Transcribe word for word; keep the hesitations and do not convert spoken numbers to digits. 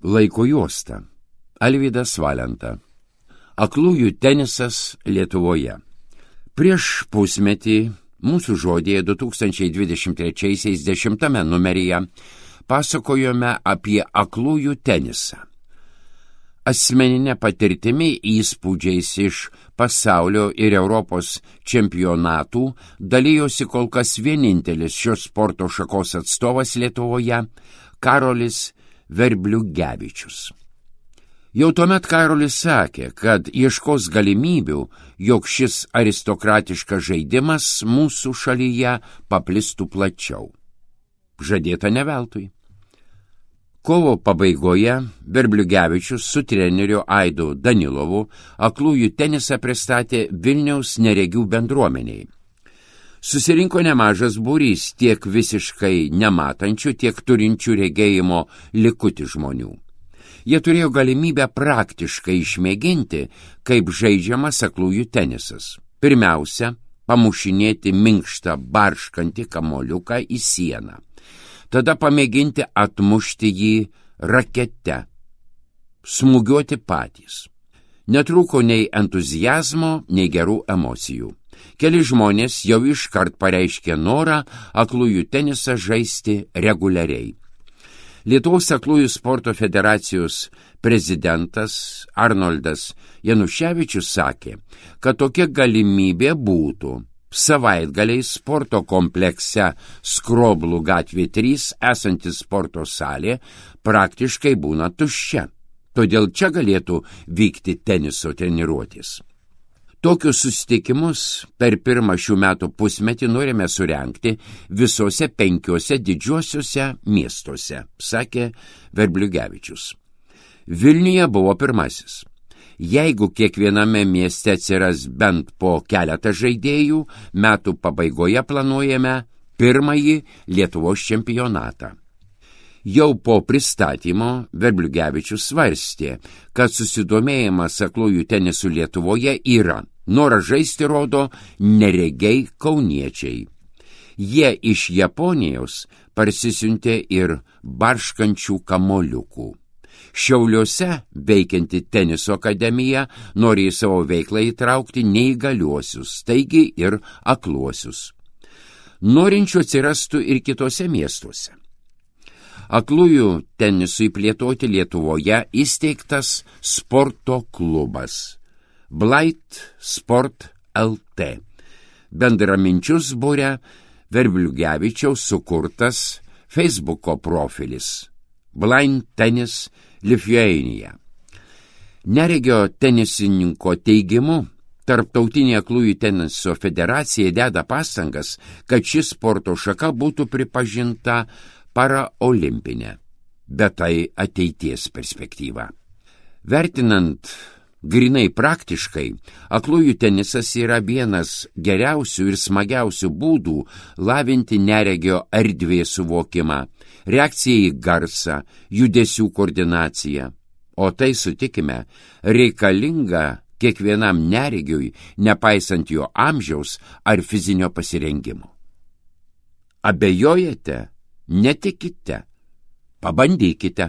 Laiko juosta. Alvydas Valenta. Aklųjų tenisas Lietuvoje. Prieš pusmetį mūsų žodėje du tūkstančiai dvidešimt trečiaisiais dešimtame numeryje pasakojome apie aklųjų tenisą. Asmeninė patirtimi įspūdžiais iš pasaulio ir Europos čempionatų dalijosi kol kas vienintelis šios sporto šakos atstovas Lietuvoje, Karolis Verbliugevičius. Jau tuomet Karolis sakė, kad ieškos galimybių, jog šis aristokratiškas žaidimas mūsų šalyje paplistų plačiau. Žadėta ne veltui. Kovo pabaigoje Verbliugevičius su treneriu Aidu Danilovu aklųjų tenisą pristatė Vilniaus neregių bendruomeniai. Susirinko nemažas būrys tiek visiškai nematančių, tiek turinčių regėjimo likutį žmonių. Jie turėjo galimybę praktiškai išmėginti, kaip žaidžiamas aklųjų tenisas. Pirmiausia, pamušinėti minkštą barškantį kamoliuką į sieną. Tada pamėginti atmušti jį rakete, smūgiuoti patys. Netrūko nei entuziazmo, nei gerų emocijų. Keli žmonės jau iškart pareiškė norą aklųjų tenisą žaisti reguliariai. Lietuvos aklųjų sporto federacijos prezidentas Arnoldas Januševičius sakė, kad tokia galimybė būtų. Savaitgaliai sporto komplekse Skroblų gatvė trys esanti sporto salė praktiškai būna tuščia, todėl čia galėtų vykti teniso treniruotis. Tokius susitikimus per pirmą šių metų pusmetį norime surengti visose penkiuose didžiuosiuose miestuose, sakė Verbliugevičius. Vilniuje buvo pirmasis. Jeigu kiekviename mieste atsiras bent po keletą žaidėjų, metų pabaigoje planuojame pirmąjį Lietuvos čempionatą. Jau po pristatymo Verbliugevičius svarstė, kad susidomėjimas aklųjų tenisų Lietuvoje yra. Norą žaisti rodo neregiai kauniečiai. Jie iš Japonijos parsisiuntė ir barškančių kamoliukų. Šiauliuose veikianti teniso akademija nori į savo veiklą įtraukti neįgaliuosius, taigi ir akluosius. Norinčių atsirastų ir kitose miestuose. Aklųjų tenisui plėtoti Lietuvoje įsteigtas sporto klubas Blind Sport L T. Bendraminčius būria Verbliugevičiaus sukurtas Facebooko profilis Blind Tennis Lithuania. Neregio tenisininko teigimu, Tarptautinė aklųjų teniso federacija deda pastangas, kad ši sporto šaka būtų pripažinta paraolimpinė, bet tai ateities perspektyva. Vertinant grinai praktiškai, aklųjų tenisas yra vienas geriausių ir smagiausių būdų lavinti neregio erdvės suvokimą, reakciją į garsą, judesių koordinaciją. O tai, sutikime, reikalinga kiekvienam neregiui, nepaisant jo amžiaus ar fizinio pasirengimo. Abejojate? Netikite. Pabandykite.